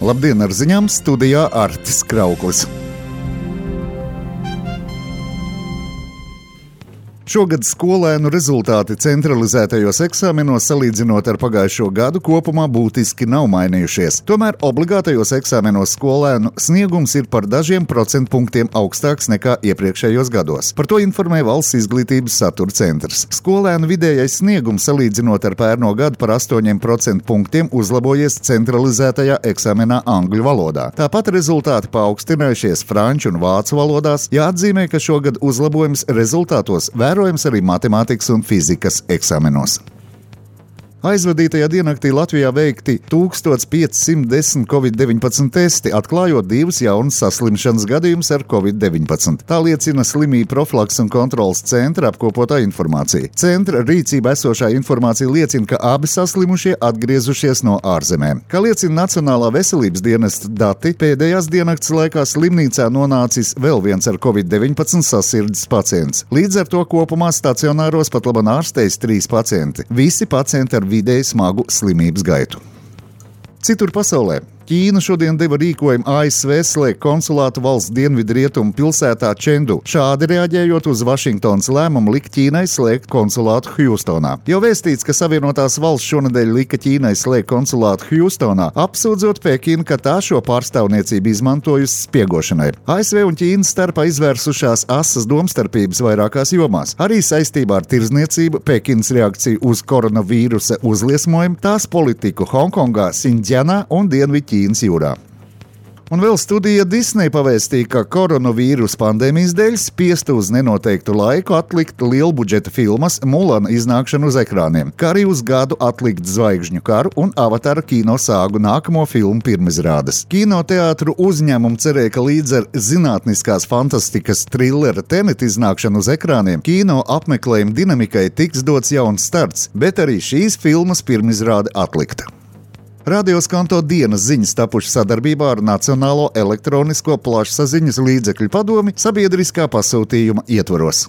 Labdien, ar ziņām studijā Artis Krauklis. Šogad skolēnu rezultāti centralizētajos eksāmenos salīdzinot ar pagājušo gadu kopumā būtiski nav mainījušies. Tomēr obligātajos eksāmenos skolēnu sniegums ir par dažiem procentpunktiem augstāks nekā iepriekšējos gados. Par to informē Valsts izglītības satura centrs. Skolēnu vidējais sniegums salīdzinot ar pērno gadu par 8 procentpunktiem uzlabojies centralizētajā eksāmenā angļu valodā. Tāpat rezultāti paaugstinājušies franču un vācu valodās. Jāatzīmē, ka šogad uzlabojums rezultātos vērojams arī matemātikas un fizikas eksāmenos. Aizvadītajā diennaktī Latvijā veikti 1510 Covid-19 testi, atklājot 2 jaunas saslimšanas gadījumus ar Covid-19. Tā liecina Slimību profilakses un kontroles centra apkopotā informācija. Centra rīcībā esošā informācija liecina, ka abi saslimušie atgriezušies no ārzemēm. Kā liecina Nacionālā veselības dienesta dati, pēdējās diennakts laikā slimnīcā nonācis vēl viens ar Covid-19 sasirdzes pacients. Līdz ar to kopumā stacionāros pat labāk ārstējas 3 pacienti. Visi pacienti ar vidēji smagu slimības gaitu. Citur pasaulē. Ķīna šodien deva rīkojumu ASV slēgt konsulātu valsts dienvidrietumu pilsētā Čendu, šādi reaģējot uz Vašingtonas lēmumu likt Ķīnai slēgt konsulātu Hjūstonā. Jau vēstīts, ka Savienotās valsts šonedēļ lika Ķīnai slēgt konsulātu Hjūstonā, apsūdzot Pekinu, ka tā šo pārstāvniecību izmantojusi spiegošanai. ASV un Ķīnas starpā izvērsušās asas domstarpības vairākās jomās. Arī saistībā ar tirdzniecību, Pekinas reakciju uz koronavīrusa uzliesmojumu, tās politiku Hongkongā, Sinģjanā un Dienvidķīnā jūrā. Un vēl studija Disney pavēstīja, ka koronavīrusa pandēmijas dēļ spiesta uz nenoteiktu laiku atlikt lielbudžeta filmas Mulana iznākšanu uz ekrāniem, kā arī uz gadu atlikt Zvaigžņu karu un Avatara kino sāgu nākamo filmu pirmizrādes. Kinoteātru uzņēmumu cerēja, ka līdz ar zinātniskās fantastikas trilera Tenet iznākšanu uz ekrāniem kino apmeklējuma dinamikai tiks dots jauns starts, bet arī šīs filmas pirmizrāde atlikta. Radio Skanto dienas ziņas tapušas sadarbībā ar Nacionālo elektronisko plašsaziņas līdzekļu padomi sabiedriskā pasūtījuma ietvaros.